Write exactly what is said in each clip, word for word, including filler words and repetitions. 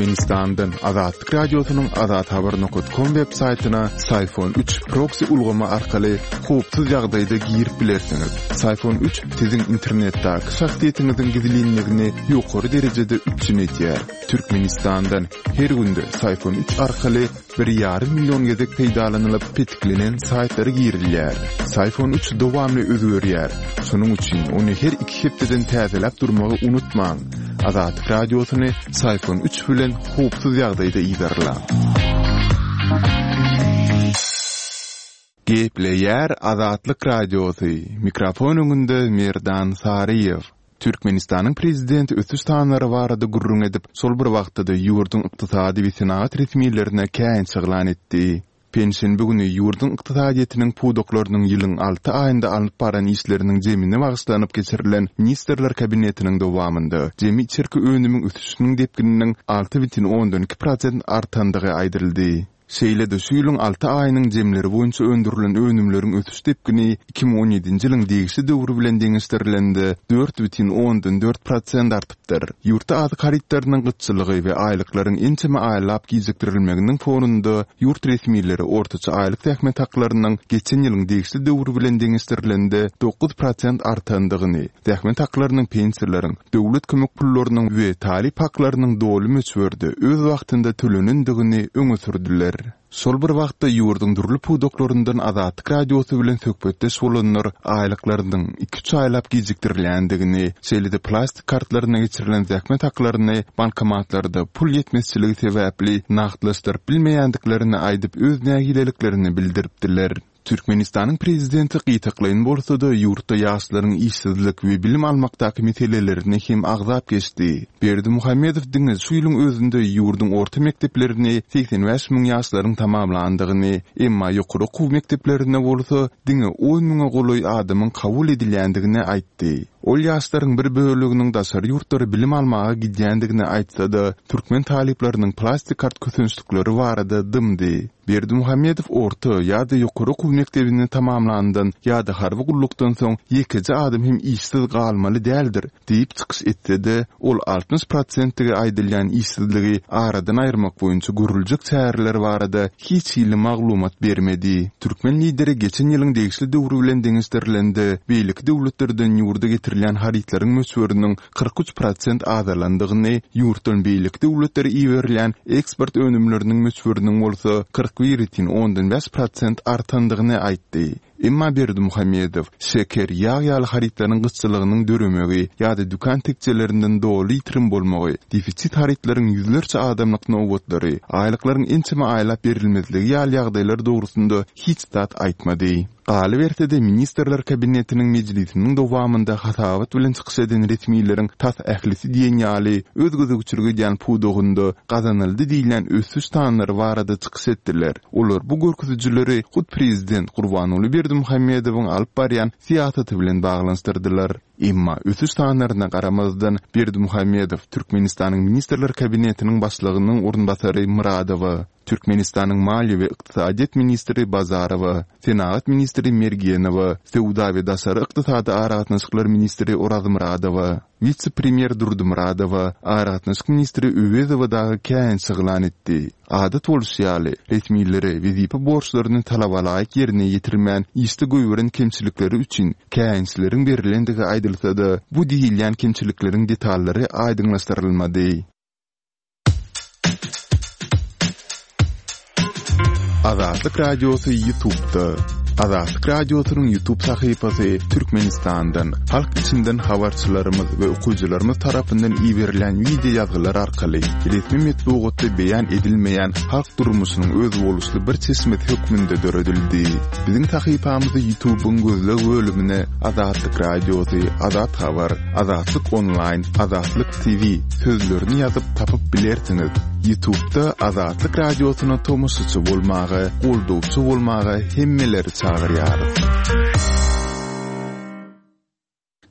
Türkmenistandan Azatlyk Radiosynyň azathabar nokat kom web saýtyna Syfon üç proksi ulgamy arkaly howpsuz ýagdaýda girip bilersiňiz. Syfon üç siziň internetdäki şahsyýetiňiziň gizlinligini ýokary derejede üpjün edýär. Türkmenistandan her günde Syfon üç arkaly bir ýarym million gezek peýdalanylyp petiklenen saýtlara girilýär. Syfon üç dowamly özgerýär. Şonuň üçin ony her iki hepdeden täzeläp durmagy unutmaň. Azatlyk Radiosyny Syfon üç bilen howpsuz ýagdaýda yzarlaň. Gepleýär Azatlyk Radiosy. Mikrofon öňünde Merdan Saryýew. Türkmenistanyň prezidenti ösüş sanlary barada gürrüň edip, şol bir wagtda-da ýurduň ykdysady we senagat resmilerine käýinç yglan etdi. Penşenbe güni ýurduň ykdysadyýetiniň pudaklarynyň ýylyň alty aýynda alnyp baran işleriniň jemine bagyşlanyp geçirilen Ministrler Kabinetiniň dowamynda jemi içerki önümiň ösüşiniň depgininiň alty bütin ondan iki prosent artandygy aýdyldy. Şeýle-de şu ýylyň alty aýynyň jemleri boýunça öndürilen önümleriň ösüş depgini iki müň on ýedinji ýylyň degişli döwri bilen deňeşdirilende dört bütin ondan dört prosent artypdyr. Ýurtda azyk harytlarynyň gytçylygy we aýlyklaryň ençeme aýlap gijikdirilmeginiň fonunda ýurt resmileri ortaça aýlyk zähmet haklarynyň geçen ýylyň degişli döwri bilen deňeşdirilende dokuz prosent artandygyny, zähmet haklarynyň pensiýalaryň, döwlet kömek pullarynyň we talyp haklarynyň doly möçberde öz wagtynda tölenendigini öňe sürdüler. Şol bir wagtda ýurduň dürli pudaklaryndan Azatlyk Radiosy bilen söhbetdeş bolanlar aýlyklarynyň iki-üç aýlap gijikdirilýändigini, şeýle-de plastik kartlaryna geçirilen zähmet haklaryny bankomatlarda pul ýetmezçiligi sebäpli nagtlaşdyryp bilmeýändiklerini aýdyp öz nägileliklerini bildiripdiler. Türkmenistanyň prezidenti gytaklaýyn bolsa-da ýurtda ýaşlaryň işsizlik we bilim almakdaky meselelerini hem agzap geçdi. Berdimuhamedow diňe şu ýylyň özünde ýurduň orta mekdeplerini segsen bäş müň ýaşlaryň tamamlandygyny, emma ýokary okuw mekdeplerine bolsa diňe on müňe golaý adamyň kabul edilýändigini aýtdy. Ol ýaşlaryň bir böleginiň daşary ýurtlara bilim almaga gidýändigini aýtsa-da, türkmen talyplarynyň plastik kart kösençlikleri barada dymdy. Berdimuhamedow orta ýa-da ýokary okuw mekdebini tamamlandan ýa-da harby gullukdan soň ýekeje adam hem işsiz galmaly däldir diýip çykyş etse-de, ol altmyş prosentlige aýdylýan işsizligi aradan aýyrmak boýunça görüljek çäreler barada hiç hili maglumat bermedi. Türkmen lideri geçen ýylyň degişli döwri bilen deňeşdirilende, beýleki döwletlerden ýurda getirilýän harytlaryň möçberiniň kyrk üç prosent azalandygyny, ýurtdan beýleki döwletlere iberilýän eksport önümleriniň möçberiniň bolsa kyrk bir bütin ondan bäş prosent artandygyny aýtdy. Emma Berdimuhamedow şeker, ýag ýaly harytlaryň gytçylygynyň döremegi ýa-da dükan tekjelerinden doly ýitirim bolmagy, defisit harytlaryň ýüzlerçe adamlyk nobatlary, aýlyklaryň ençeme aýlap berilmezligi ýaly ýagdaýlar dogrusynda hiç zat aýtmady. Galyberse-de Ministrler Kabinetiniň mejlisiniň dowamynda hasabat bilen çykyş eden resmileriň tas ählisi diýen ýaly öz gözegçilik edýän pudagynda gazanyldy diýilýän ösüş sanlary barada çykyş etdiler. Olar bu görkezijileri hut prezident Gurbanguly Berdimuhamedowyň alyp barýan syýasaty bilen baglanyşdyrdylar. Emma ösüş sanlaryna garamazdan Berdimuhamedow Türkmenistanyň Ministrler Kabinetiniň başlygynyň orunbasary Myradowa, Türkmenistanyň Maliýe we ykdysadyýet ministri Bazarowa, Senagat ministri Mergenowa, Söwda we daşary ykdysady aragatnaşyklar ministri Orazmyradowa, wise-premýer Durdymyradowa, aragatnaşyk ministri Öwezowa dagy käýinç yglan etdi. Adat bolşy ýaly, resmilere wezipe borçlaryny talabalaýyk ýerine ýetirmän işde goýberen kemçilikleri üçin käýinçleriň berilendigi aýdylsa-da, bu diýilýän kemçilikleriň detallary aýdyňlaşdyrylmady. Azatlyk Radiosy YouTube'da. Azatlyk Radiosynyň YouTube sahypasy Türkmenistandan, halk içinden habarçylarymyz we okyjylarymyz tarapyndan iberilen wideo ýazgylar arkaly resmi metbugatda beýan edilmeýän halk durmuşynyň özboluşly bir çeşmesi hökmünde döredildi. Biziň sahypamyzy YouTube'yň gözleg bölümine Azatlyk Radiosy, Azat Habar, Azatlyk Online, Azatlyk T V sözlerini ýazyp tapyp bilersiňiz. YouTube'da Azatlyk Radiosyna tomaşaçy bolmaga, goldawçy bolmaga hemmeleri çagyrýarys.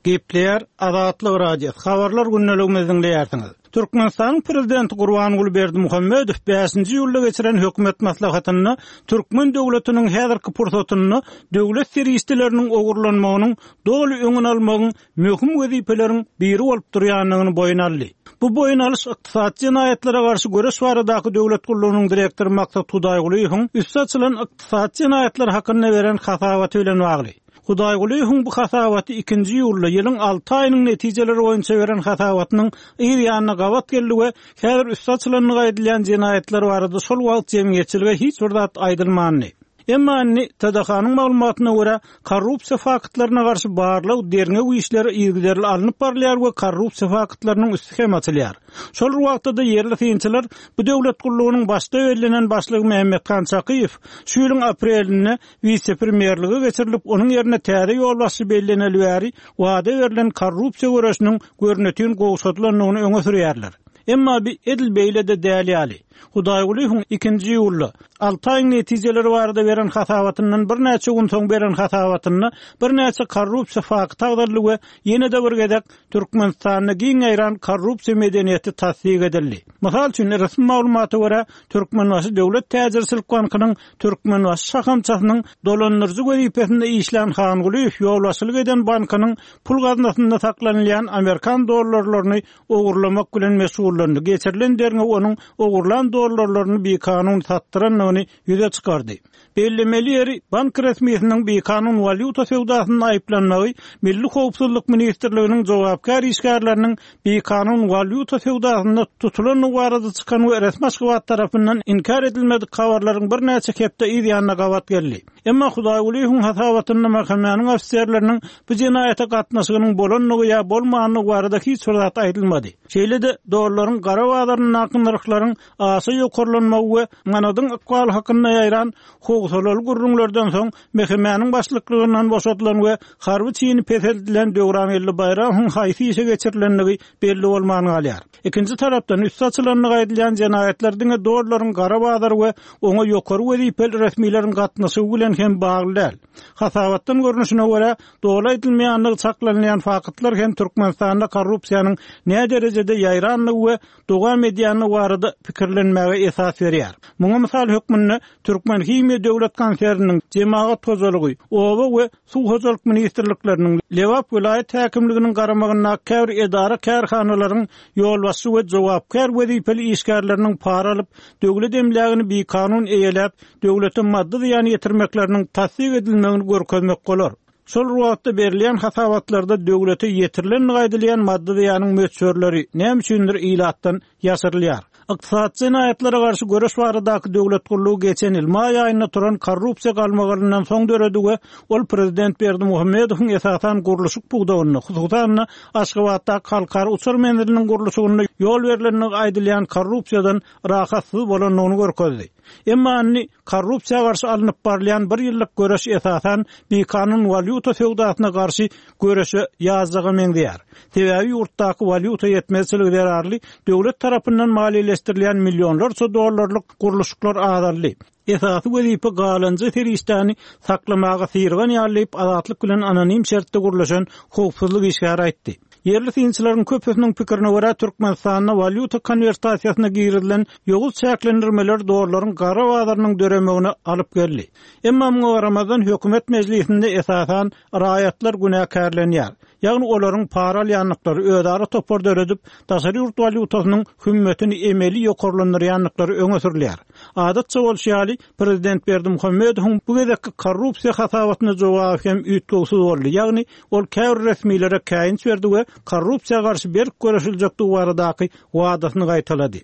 Gepleýär Azatlyk Radiosy. Habarlar gündeligimizi diňleýärsiňiz. Türkmenistanyň Prezidenti Gurbanguly Berdimuhamedow bäşinji iýulda geçiren hökümet maslahatynda türkmen döwletiniň häzirki pursatynda döwlet serişdeleriniň ogurlanmagynyň doly öňüni almagyň möhüm wezipeleriň biri bolup durýandygyny boýun aldy. Bu boýun alyş ykdysady jenaýatlara garşy göreş baradaky döwlet gullugynyň direktory Maksat Hudaýgulyýewiň üsti açylan ykdysady jenaýatlar hakynda beren hasabaty bilen bagly. Hudaýgulyýewiň bu hasabaty ikinji iýulda ýylyň alty aýynyň netijeleri boýunça beren hasabatynyň yz ýanyna gabat geldi we häzir üsti açylandygy aýdylýan jenaýatlar barada şol wagt jemgyýetçilige hiç bir zat aýdylmandy. Emma indi T D H-nyň maglumatyna görä, korrupsiýa faktlaryna garşy barlag, derňew işleri yzygiderli alnyp barylýar we korrupsiýa faktlarynyň üsti hem açylýar. Şol bir wagtda-da ýerli synçylar bu döwlet gullugynyň başda bellenen başlygy Mehmethan Çakyýew şu ýylyň aprelinde wise-premýerlige geçirilip, onuň ýerine täze ýolbaşçy belleneli bäri wada berlen korrupsiýa göreşiniň görnetin gowşadylandygyny öňe sürýärler. Emma bi edil beýle-de däl ýaly. Hudaýgulyýewiň ikinji iýulda alty aýyň netijeleri barada beren hasabatyndan birnäçe gün soň beren hasabatynda birnäçe korrupsiýa fakty agzaldy we ýene-de bir gezek Türkmenistanda giň ýaýran korrupsiýa medeniýeti tassyk edildi. Mysal üçin, resmi maglumata görä, Türkmenbaşy döwlet täjirçilik bankynyň Türkmenbaşy şahamçasynyň dolandyryjy wezipesinde işlän Hangulyýew ýolbaşçylyk eden bankynyň pul gaznasynda saklanylýan amerikan dollarlaryny ogurlamak bilen meşgullandy. Geçirilen derňew onuň ogurlan dollarlaryny bikanun satdyrandygyny ýüze çykardy. Bellemeli ýeri, bank resmisiniň bikanun walýuta söwdasynda aýyplanmagy Milli howpsuzlyk ministrliginiň jogapkär işgärleriniň bikanun walýuta söwdasynda tutulandygy barada çykan we resmi Aşgabat tarapyndan inkär edilmedik habarlaryň birnäçe hepde yz ýanyna gabat geldi. Emma Hudaýgulyýewiň hasabatynda M H M-niň ofiserleriniň bu jenaýata gatnaşygynyň bolandygy ýa bolmandygy barada hiç bir zat aýdylmady. Şeýle-de dollaryň gara bazaryndaky nyrhlaryň aşa ýokarlanmagy we manadyň ykbaly hakynda ýaýran howsalaly gürrüňlerden soň M H M-niň başlyklygyndan boşadylan we harby çini peseldilen Döwrangeldi Baýramowyň haýsy işe geçirilendigi belli bolman galýar. Ikinji tarapdan üsti açylandygy aýdylýan jenaýatlar diňe dollaryň gara bazary we oňa ýokary wezipeli resmileriň gatnaşygy bilen hem bagly däl. Hasabatdan görnüşine görä, doly aýdylmaýandygy çaklanylýan faktlar hem Türkmenistanda korrupsiýanyň nä derejede ýaýrandygy we dowam edýändigi barada pikirlenmäge esas berýär. Muňa mysal hökmünde Türkmenhimiýa döwlet konserniniň, Jemagat hojalygy, Oba we Suw hojalyk ministrlikleriniň, Lebap welaýat häkimliginiň garamagyndaky käbir edara kärhanalaryň ýolbaşçy we jogapkär wezipeli işgärleriniň para alyp, döwlet emlägini bikanun eýeläp, döwlete maddy zyýan ýetirmekleriniň tassyk edilmegini görkezmek bolar. Şol wagtda berilýän hasabatlarda döwlete ýetirilendigi aýdylýan maddy zyýanyň möçberleri näme üçindir ilatdan ýaşyrylýar. Ykdysady jenaýatlara garşy göreş baradaky döwlet gullugy geçen ýyl maý aýynda turan korrupsiýa galmagalyndan soň döredi we ol prezident Berdimuhamedowyň esasan gurluşyk pudagynda, hususan-da Aşgabatdaky halkara uçar menziliniň gurluşygynda ýol berilendigi aýdylýan korrupsiýadan rahatsyz bolandygyny görkezdi. Emma indi korrupsiýa garşy alnyp barylýan bir ýyllyk göreş esasan bikanun walýuta söwdasyna garşy göreşe ýazjaga meňzeýär. Sebäbi ýurtdaky walýuta ýetmezçiligi zerarly döwlet tarapyndan maliýeleşdirilýän millionlarça dollarlyk gurluşyklar azaldy. Esasy wezipe galynjy serişdäni saklamaga syrgan ýaly diýip Azatlyk bilen anonim şertde gurluşan howpsuzlyk işgäri aýtdy. Ýerli synçylaryň köpüsiniň pikirine görä, Türkmenistanda walýuta konwertasiýasyna girizilen ýowuz çäklendirmeler dollaryň gara bazarynyň döremegine alyp geldi. Emma muňa garamazdan hökümet mejlisinde esasan raýatlar günäkärlenýär. Ýagny olaryň para alýandyklary, özara topar döredip, daşary ýurt walýutasynyň hümmetini emeli ýokarlandyrýandyklary öňe sürülýär. Adatça bolşy ýaly, prezident Berdimuhamedowyň bu gezekki korrupsiýa hasabatyna jogaby hem üýtgewsiz boldy. Ýagny ol käbir resmilere käýinç berdi we korrupsiýa garşy berk göreşiljekdigi baradaky wadasyny gaýtalady.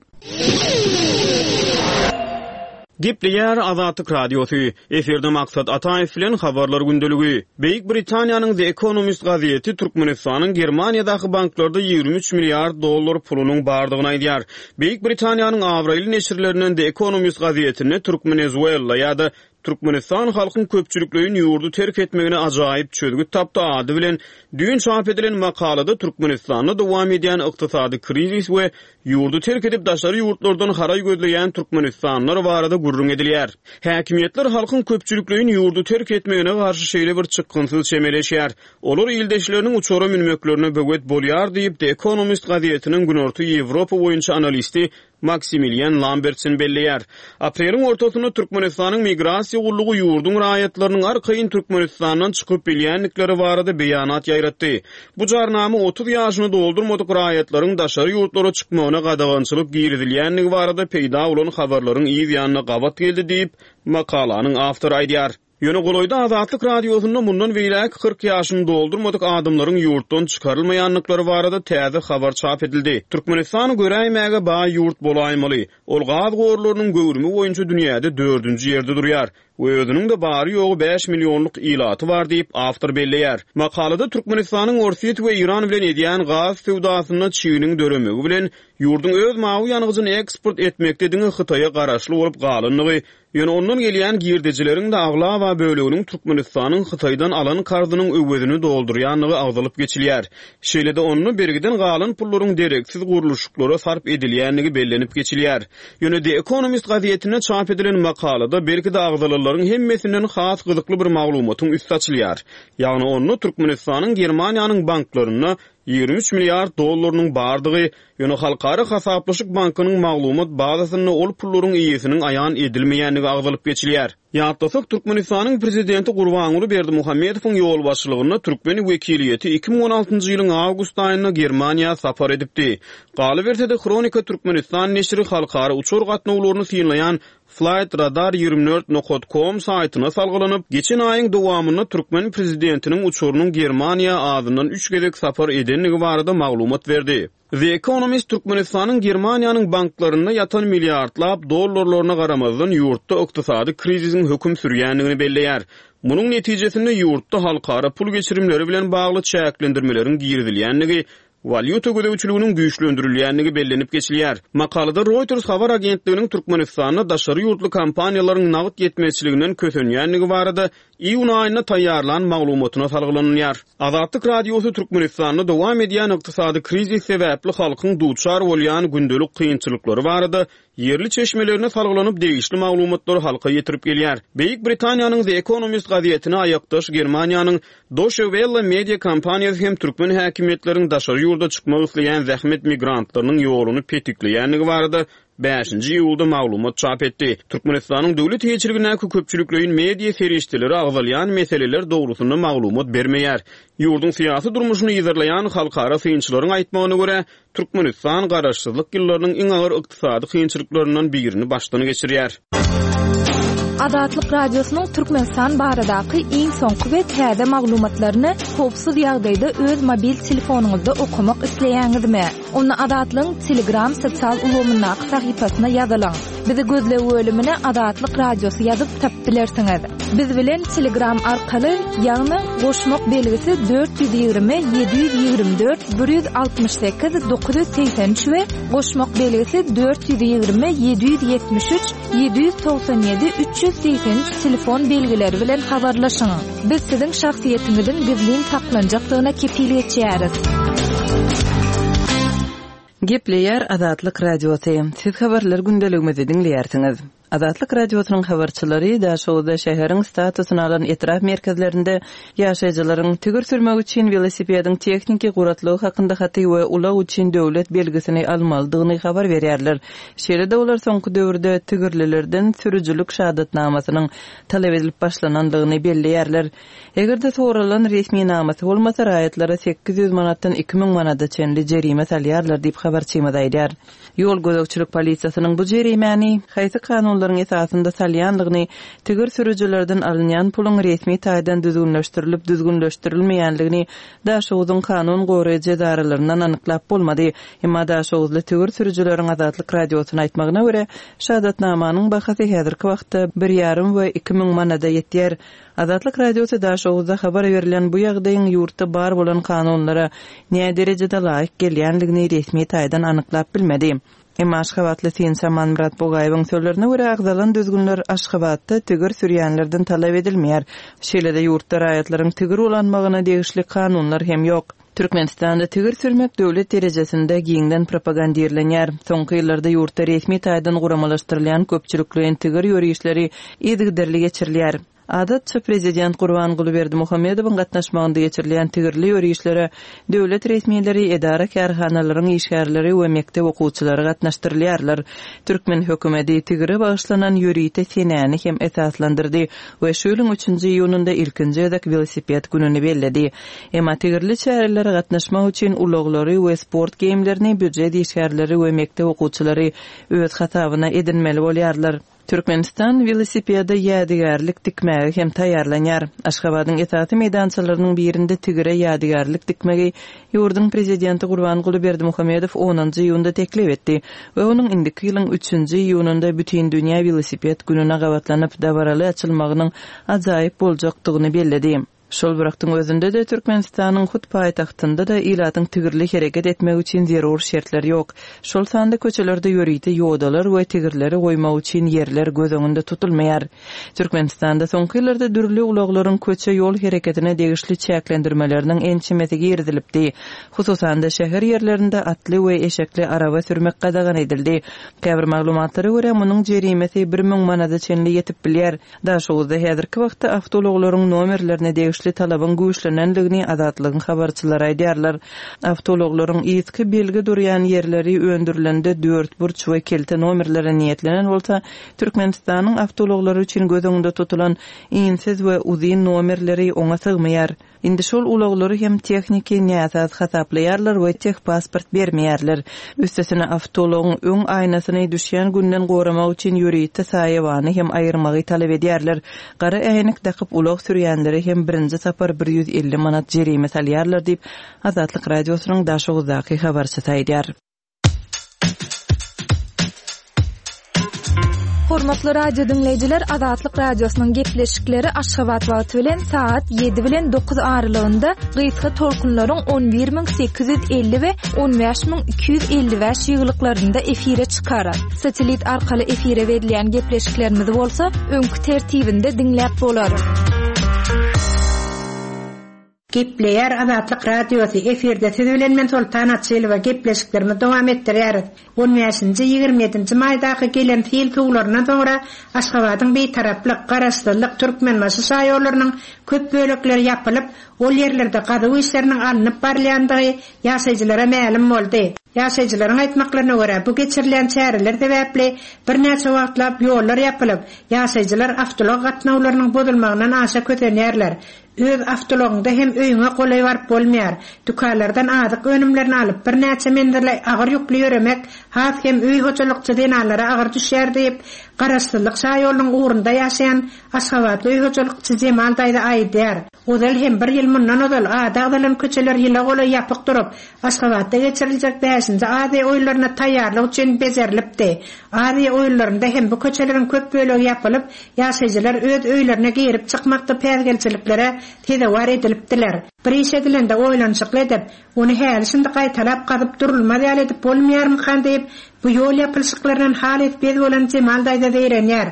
Gepleýär Azatlyk Radiosy. Efirde Maksat Ataýew bilen habarlar gündeligi. Beýik Britaniýanyň The Economist gazeti Türkmenistanyň Germaniýadaky banklarda ýigrimi üç milliard dollar pulunyň bardygyny aýdýar. Beýik Britaniýanyň abraýly neşirlerinden The Economist gazetinde Türkmenezuela ýa-da Türkmenistan halkyň köpçülikleýin ýurdy terk etmegine ajaýyp çözgüt tapdy ady bilen düýn çap edilen makalada Türkmenistanda dowam edýän ykdysady krizis we ýurdy terk edip daşary ýurtlardan haraý gözleýän türkmenistanlylar barada gürrüň edilýär. Häkimiýetler halkyň köpçülikleýin ýurdy terk etmegine garşy şeýle bir çykgynsyz çemeleşýär. Olar ildeşleriniň uçara münmeklerine böwet bolýar diýip, The Economist gazetiniň Günorta Ýewropa boýunça analisti Maksimilian Lambertsen belleýär. Apreliň ortasynda Türkmenistanyň Migrasiýa gullugy ýurduň raýatlarynyň arkaýyn Türkmenistandan çykyp bilýändikleri barada beýanat ýaýratdy. Bu jarnama otuz ýaşyny doldurmadyk raýatlaryň daşary ýurtlara çykmagyna gadagançylyk girizilýändigi barada peýda bolan habarlaryň yz ýanyna gabat geldi diýip, makalanyň awtory aýdýar. Ýöne golaýda Azatlyk Radiosynda mundan beýläk kyrk ýaşyny doldurmadyk adamlaryň ýurtdan çykarylmaýandyklary barada täze habar çap edildi. Türkmenistan göräýmäge baý ýurt bolaýmaly. Ol gaz gorlarynyň göwrümi boýunça dünýäde dördünji ýerde durýar we özüniň-de bary-ýogy bäş millionlyk ilaty bar diýip, awtor belleýär. Makalada Türkmenistanyň Orsýet we Eýran bilen edýän gaz söwdasynda çiginiň döremegi bilen ýurduň öz mawy ýangyjyny eksport etmekde diňe Hytaýa garaşly bolup galandygy, ýöne ondan gelýän girdejileriň-de aglaba böleginiň Türkmenistanyň Hytaýdan alan karzynyň öwezini doldurýandygy agzalyp geçilýär. Şeýle-de onda bergiden galan pullaryň dereksiz gurluşyklara sarp edilýändigi bellenip geçilýär. Ýöne The Economist gazetinde çap edilen makalada belki-de agzalanlaryň hemmesinden has gyzykly bir maglumatyň üsti açylýar. Ýagny onda Türkmenistanyň Germaniýanyň banklarynda ýigrimi üç milliard dollarynyň bardygy, ýöne Halkara hasaplaşyk bankynyň maglumat bazasynda ol pullaryň eýesiniň aýan edilmeýändigi agzalyp geçilýär. Ýatlasak, Türkmenistanyň Prezidenti Gurbanguly Berdimuhamedowyň ýolbaşçylygynda türkmen wekiliýeti iki müň on altynjy ýylyň awgust aýynda Germaniýa sapar edipdi. Galyberse-de, Hronika Türkmenistan neşiri halkara uçar gatnawlaryny synlaýan Flight Radar ýigrimi dört nokat com saýtyna salgylanyp, geçen aýyň dowamynda türkmen prezidentiniň uçarynyň Germaniýa azyndan üç gezek sapar edendigi barada maglumat berdi. The Economist Türkmenistanyň Germaniýanyň banklarynda ýatan milliardlap dollarlaryna garamazdan ýurtda ykdysady krizisiň höküm sürýändigini belleýär. Munuň netijesinde ýurtda halkara pul geçirimleri bilen bagly çäklendirmeleriň girizilýändigi, walýuta gözegçiliginiň güýçlendirilýändigi bellenip geçilýär. Makalada Reuters habar agentliginiň Türkmenistanda daşary ýurtly kompaniýalaryň nagt ýetmezçiliginden kösenýändigi barada iýun aýynda taýýarlan maglumatyna salgylanylýar. Azatlyk Radiosy Türkmenistanda dowam edýän ykdysady krizis sebäpli halkyň duçar bolýan gündelik kynçylyklary barada ýerli çeşmelerine salgylanyp degişli maglumatlary halka ýetirip gelýär. Beýik Britaniýanyň The Economist gazetine aýakdaş Germaniýanyň Deutsche Welle media kompaniýasy hem türkmen häkimiýetleriniň daşary ýurda çykmak isleýän zähmet migrantlarynyň ýoluny petikleýändigi barada bäşinji iýulda maglumat çap etdi. Türkmenistanyň döwlet eýeçiligindäki köpçülikleýin media serişdeleri agzalýan meseleler dogrusynda maglumat bermeýär. Ýurduň syýasy durmuşyny yzarlaýan halkara synçylaryň aýtmagyna görä, Türkmenistan garaşsyzlyk ýyllarynyň iň agyr ykdysady kynçylyklaryndan birini başdan geçirýär. Azatlyk Radiosynyň Türkmenistan baradaky iň soňky we täze maglumatlaryny howpsuz ýagdaýda öz mobil telefonyňyzda okamak isleýäňizmi? Onda Azatlygyň Telegram sosial ulgamyndaky sahypasyna ýazylyň. Bizi gözleg bölümine Azatlyk Radiosy ýazyp tapyp bilersiňiz. Biz bilen Telegram arkaly, ýagny goşmak belgisi dört ýüz ýigrimi, ýedi ýüz ýigrimi dört, bir ýüz altmyş sekiz, dokuz ýüz segsen üç we goşmak belgisi dört ýüz ýigrimi, ýedi ýüz ýetmiş üç, ýedi ýüz togsan ýedi, üç ýüz segsen üç telefon belgileri bilen habarlaşyň. Biz siziň şahsyýetiňiziň gizlin saklanjakdygyna kepil geçýäris. Gepleýär Azatlyk Radiosy. Siz habarlar gündeligimizi diňleýärsiňiz. Azatlyk Radiosynyň habarçylary Daşoguzda şäheriň statusyny alan etrap merkezlerinde ýaşaýjylaryň tigir sürmek üçin welosipediň tehniki guratlygy hakynda haty we ulag üçin döwlet belgisini almalydygyny habar berýärler. Şeýle-de olar soňky döwürde tigirlilerden sürüjilik şahadatnamasynyň talap edilip başlanandygyny belleýärler. Eger-de soralan resminamasy bolmasa, raýatlara sekiz ýüz manatdan iki müň manada çenli jerime salýarlar diýip habarçymyz aýdýar. Ýol gözegçilik polisiýasynyň bu jerimäni haýsy kanunlaryň esasynda salýandygyny, tigir sürüjilerden alynýan puluň resmi taýdan düzgünleşdirilip düzgünleşdirilmeýändigini Daşoguzyň kanun goraýjy edaralaryndan anyklap bolmady. Emma Daşoguzly tigir sürüjileriň Azatlyk Radiosyna aýtmagyna görä, şahadatnamanyň bahasy häzirki wagtda bir ýarym we iki müň manada ýetýär. Azatlyk Radiosy Daşoguzda habar berilen bu ýagdaýyň ýurtda bar bolan kanunlara näderejede laýyk gelýändigini resmi taýdan anyklap bilmedi. Emma Aşgabatly synçy Amanmyrat Bugaýewiň sözlerine görä, agzalan düzgünler Aşgabatda tigir sürýänlerden talap edilmeýär. Şeýle-de ýurtda raýatlaryň tigir ulanmagyna degişli kanunlar hem ýok. Türkmenistanda tigir sürmek döwlet derejesinde giňden propagandirlenýär. Soňky ýyllarda ýurtda resmi taýdan guramalaşdyrylýan köpçülikleýin tigir ýörişleri yzygiderli geçirilýär. Adatça prezident Gurbanguly Berdimuhamedowyň gatnaşmagynda geçirilýän tigirli ýörişlere döwlet resmileri, edara-kärhanalaryň işgärleri we mekdep okuwçylary gatnaşdyrylýarlar. Türkmen hökümeti tigire bagyşlanan ýörite senäni hem esaslandyrdy we şu ýylyň üçünji iýunynda ilkinji gezek welosiped gününi belledi. Emma tigirli çärelere gatnaşmak üçin ulaglary we sport geýimlerini býujet işgärleri we mekdep okuwçylary öz hasabyna edinmeli bolýarlar. Türkmenistan welosipede ýadygärlik dikmäge hem taýýarlanýar. Aşgabadyň esasy meýdançalarynyň birinde tigire ýadygärlik dikmegi ýurduň prezidenti Gurbanguly Berdimuhamedow onunjy iýunda teklip etdi we onuň indiki ýylyň üçünji iýunynda Bütindünýä welosiped gününe gabatlanyp dabaraly açylmagynyň ajaýyp boljakdygyny belledi. Şol bir wagtyň özünde-de Türkmenistanyň hut paýtagtynda-da ilatyň tigirli hereket etmegi üçin zerur şertler ýok. Şol sanda köçelerde ýörite ýodalar we tigirleri goýmak üçin ýerler göz öňünde tutulmaýar. Türkmenistanda soňky ýyllarda dürli ulaglaryň köçe ýol hereketine degişli çäklendirmeleriniň ençemesi girizilipdi. Hususan-da şäher ýerlerinde atly we eşekli araba sürmek gadagan edildi. Käbir maglumatlara görä munuň jerimesi bir müň manada çenli ýetip bilýär. Daşoguzda häzirki wagtda awtoulaglaryň nomerlerine degişli talabyň güýçlenendigini Azatlygyň habarçylary aýdýarlar. Awtoulaglaryň yzky belgi durýan ýerleri öndürilende dört burç we kelte nomerlere niýetlenen bolsa, Türkmenistanyň awtoulaglary üçin göz öňünde tutulan insiz we uzyn nomerleri oňa sygmaýar. Indi şol ulaglary hem tehniki näsaz hasaplaýarlar we tehpasport bermeýärler. Üstesine awtoulagyň öň aýnasyny düşýän günden goramak üçin ýörite saýawany hem aýyrmagy talap edýärler. Gara äýnek dakyp ulag sürýänlere hem birinji sapar bir ýüz elli manat jerime salýarlar diýip, Azatlyk Radiosynyň Daşoguzdaky habarçysy aýdýar. Hormatly radio dinleýjiler, Azatlyk Radiosynyň gepleşikleri Aşgabat wagty bilen saat ýedi bilen dokuz aralygynda gysga tolkunlaryň on bir müň sekiz ýüz elli we on bäş müň iki ýüz elli bäş ýyglyklarynda efire çykar. Satelit arkaly efire berilýän gepleşiklerimizi bolsa öňki tertibinde diňläp bolar. Gepleýär Azatlyk Radiosy efirde siz bilen men Sultan Açylowa gepleşiklerimizi dowam etdirýäris. on bäşinji, ýigrimi ýedinji maýdaky gelen sil suwlaryndan soňra Aşgabadyň Bitaraplyk, Garaşsyzlyk, Türkmenbaşy şaýollarynyň köp bölekleri ýapylyp, ol ýerlerde gazuw işleriniň alnyp barylýandygy ýaşaýjylara mälim boldy. Ýaşaýjylaryň aýtmaklaryna görä, bu geçirilen çäreler sebäpli birnäçe wagtlap ýollar ýapylyp, ýaşaýjylar awtoulag gatnawlarynyň bozulmagyndan aşa kösenýärler. Öz awtoulagyňda hem öýüňe golaý baryp bolmaýar. Dükanlardan azyk önümlerini alyp birnäçe menzile agyr ýükli ýöremek has hem öý hojalykçy zenanlara agyr düşýär diýip, Garaşsyzlyk şaýolunyň ugrunda ýaşaýan Aşgabatly öý hojalykçy Jemal daýza aýdýar. Ozal hem bir ýyl mundan ozal ady agzalan köçeler ýyla golaý ýapyk durup, Aşgabatda geçiriljek bäşinji Aziýa oýunlaryna taýýarlyk üçin bejerilipdi. Aziýa oýunlarynda hem bu köçeleriň köp bölegi ýapylyp, ýaşaýjylar öz öýlerine girip çykmakda päsgelçiliklere sezewar edilipdiler. Bir iş edilende oýlanyşykly edip, ony häli şindi gaýtalap gazyp durulmaz ýaly edip bolmaýarmykan diýip, bu ýol ýapylyşyklaryndan halys bez bolan Jemal daýza zeýrenýär.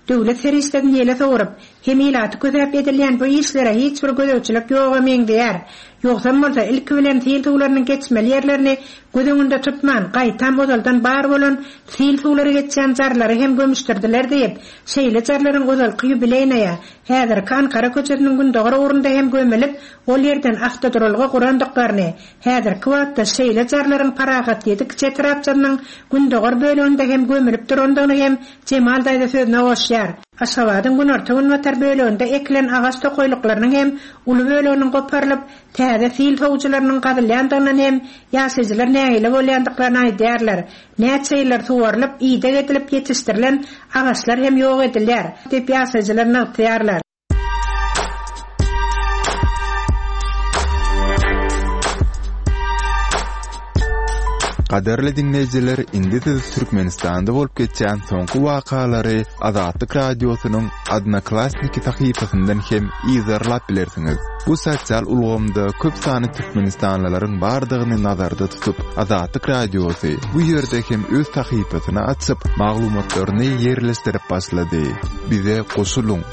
Döwlet serişdesini ýele sowuryp, hem ilaty kösäp edilýän bu işlere hiç bir gözegçilik ýoga meňzeýär. Ýogsam bolsa ilki bilen sil suwlarynyň geçmeli ýerlerini göz öňünde tutman, gaýtam ozaldan bar bolan sil suwlary geçýän jarlary hem gömüşdirdiler diýip, şeýle jarlaryň ozalky ýubileýnaýa, häzirki Ankara köçesiniň gündogar ugrunda hem gömülip, ol ýerden awtoduralga gurandyklaryny, häzirki wagtda şeýle jarlaryň Parahat ýedi kiçi etrapçasynyň gündogar böleginde hem gömülip durandygyny hem Jemal daýza sözüne goşýar. Aşgabadyň günorta günbatar böleginde ekilen agaç tokaýlyklarynyň hem uly böleginiň goparylyp, täze sil sowujylarynyň gazylýandygyndan hem ýaşaýjylar nägile bolýandyklaryny aýdýarlar. Näçe ýyllar suwarylyp, ideg edilip ýetişdirilen agaçlar hem ýok edilýär, diýip ýaşaýjylar nygtaýarlar. Gadyrly diňleýjiler, indi siz Türkmenistanda bolup geçýän soňky wakalary Azatlyk Radiosynyň Odnoklassniki sahypasyndan hem yzarlap bilersiňiz. Bu sosial ulgamda köp sanly türkmenistanlylaryň bardygyny nazarda tutup, Azatlyk Radiosy bu ýerde hem öz sahypasyny açyp, maglumatlaryny ýerleşdirip başlady. Bize goşulyň.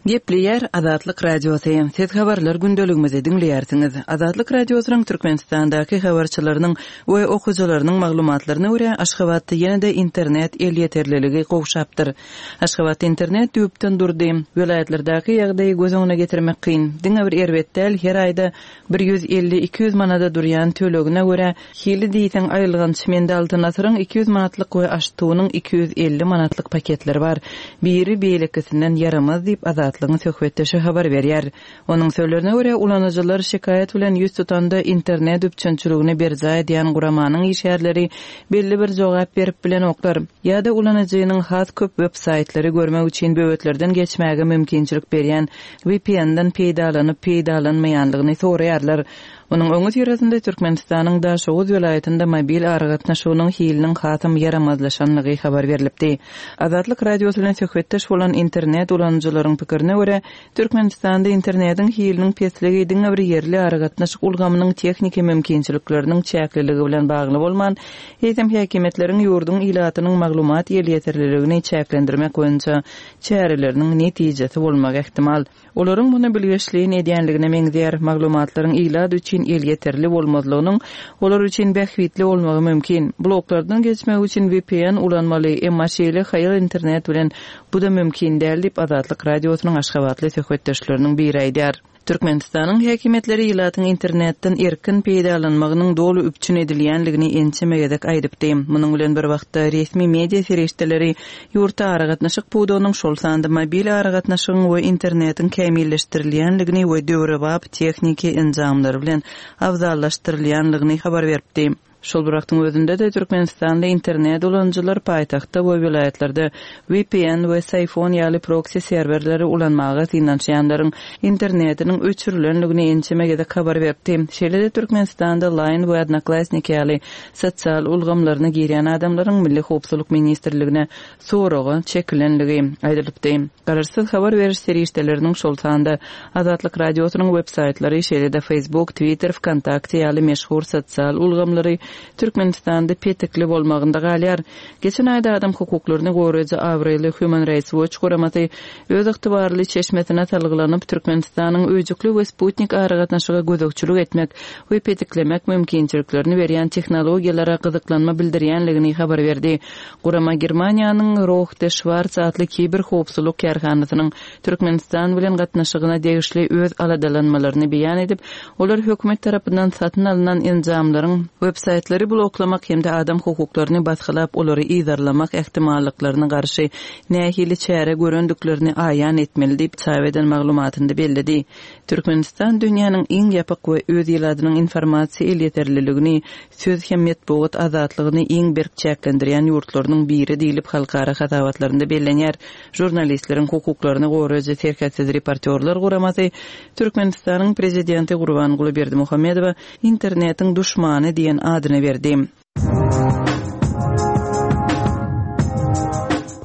Gepleýär Azatlyk Radiosy. Siz habarlar gündeligimizi diňleýärsiňiz. Azatlyk Radiosynyň Türkmenistandaky habarçylarynyň we okyjylarynyň maglumatlaryna görä Aşgabatda ýene-de internet elýeterliligi gowşapdyr. Aşgabatda internet düýpden durdy. Welaýatlardaky ýagdaýy göz öňüne getirmek kyn. Diňe bir erbet däl, her aýda bir ýüz elli iki ýüz manada durýan tölegine görä hili diýseň aýylganç mende Altyn asyryň iki ýüz manatlyk we Aştunyň iki ýüz elli manatlyk paketleri bar. Biri beýlekisinden ýaramaz diýip Azatlygyň söhbetdeşi habar berýär. Onuň sözlerine görä ulanyjylar şikaýat bilen ýüz tutanda internet üpjünçiligini berjaý edýän guramanyň işgärleri belli bir jogap berip bilenoklar. Ýa-da ulanyjynyň has köp web-saýtlary görmek üçin böwetlerden geçmäge mümkinçilik berýän V P N-den peýdalanyp peýdalanmaýanlygyny soraýarlar. Onuň öňi syrasynda Türkmenistanyň Daşoguz welaýatynda mobil aragatnaşygynyň hiliniň hasam ýaramazlaşanlygy habar berilipdi. Azatlyk Radiosy bilen söhbetdeş bolan internet ulanyjylaryň pikirine görä, Türkmenistanda internetiň hiliniň pesligi diňe bir ýerli aragatnaşyk ulgamynyň tehniki mümkinçilikleriniň çäkliligi bilen bagly bolman, eýsem häkimiýetleriň ýurduň ilatynyň maglumat elýeterliligini çäklendirmek boýunça çäreleriniň netijesi bolmagy ähtimal. Olaryň muny bilgeşleýin edýänligine meňzeýär. Maglumatlaryň ilat üçin elýeterli bolmazlygynyň olar üçin bähbitli bolmagy mümkin. Bloklardan geçmek üçin V P N ulanmaly, emma şeýle haýal internet bilen bu da mümkin däl diýip Azatlyk Radiosynyň Aşgabatly söhbetdeşleriniň biri aýdýar. Türkmenistanyň häkimiýetleri ilatyň internetden erkin peýdalanmagynyň doly üpjün edilýänligini ençeme gezek aýdypdy. Munuň bilen bir wagtda resmi media serişdeleri ýurtda aragatnaşyk pudagynyň şol sanda mobil aragatnaşygyň we internetiň kämilleşdirilýänligini we döwrebap tehniki enjamlar bilen abzallaşdyrylýanlygyny habar beripdi. Şol bir wagtyň özünde de Türkmenistanda internet ulanyjylar paýtagtda we welaýatlarda V P N we Sayfon ýaly proxy serwerleri ulanmaga synanyşýanlaryň internetiniň öçürilenligini ençeme gezek habar beripdi. Şeýle-de Türkmenistanda Line we Odnoklassniki ýaly sosial ulgamlaryna girýän adamlaryň Milli Howpsuzlyk Ministrligine soraga çekilenligi aýdylypdy. Garaşsyz habar beriş serişdeleriniň şol sanda Azatlyk Radiosynyň web-saýtlary, şeýle-de Facebook, Twitter, Vkontakte ýaly meşhur sosial ulgamlary Türkmenistanda petikli bolmagynda galýar. Geçen aýda adam hukuklaryny goraýjy abraýly Human Rights Watch guramasy öz ygtybarly çeşmesine salgylanyp Türkmenistanyň öýjükli we Sputnik aragatnaşyga gözegçilik etmek we petiklemek mümkinçiliklerini berýän tehnologiýalara gyzyklanma bildirýänligini habar berdi. Gurama Germaniýanyň Rohde Schwarz atly kiber howpsuzlyk kärhanasynyň Türkmenistan bilen gatnaşygyna degişli öz aladalanmalaryny beýan edip, olar hökümet tarapyndan satyn alynan enjamlaryň web-saýtlary bloklamak hem-de adam hukuklaryny basgylap olary yzarlamak ähtimallyklaryna garşy nähili çäre görendiklerini aýan etmeli diýip çap eden maglumatynda belledi. Türkmenistan dünýäniň iň ýapyk we öz ilatynyň informasiýa elýeterliligini, söz hem metbugat azatlygyny iň berk çäklendirýän ýurtlarynyň biri diýlip halkara hasabatlarynda bellenýär. Žurnalistleriň hukuklaryny goraýjy Serhetsiz reportýorlar guramasy Türkmenistanyň prezidenti Gurbanguly Berdimuhamedowa internetiň duşmany diýen adyny berdi.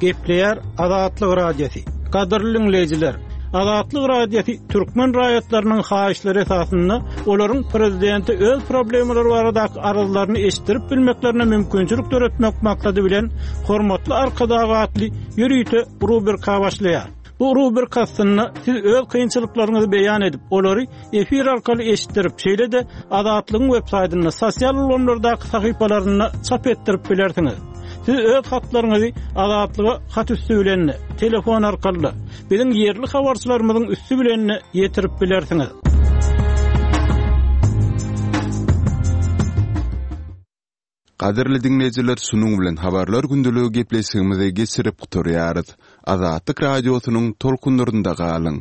Gepleýär Azatlyk Radiosy. Gadyrly dinleýjiler, Azatlyk Radiosy türkmen raýatlarynyň haýyşlary esasynda olaryň prezidenti öz problemalary baradaky arzlaryny eşitdirip bilmeklerine mümkinçilik döretmek maksady bilen hormatly Arkadag atly ýörite rubrika başlaýar. Bu rubrika aslynda siz öz kynçylyklaryňyzy beýan edip, olary efir arkaly eşitdirip, şeýle-de Azatlygyň web-saýtynda, sosial ulgamlardaky sahypalarynda çap etdirip bilersiňiz. Siz öz hatlaryňyzy Azatlyga hat üstü bilen, telefon arkaly, biziň ýerli habarçylarymyzyň üstü bilen ýetirip bilersiňiz. Gadyrly dinleýjiler, şunuň bilen habarlar gündeligi gepleşigimizi geçirip gutarýarys. Azatlyk radiosynyň tolkunlarynda galyň.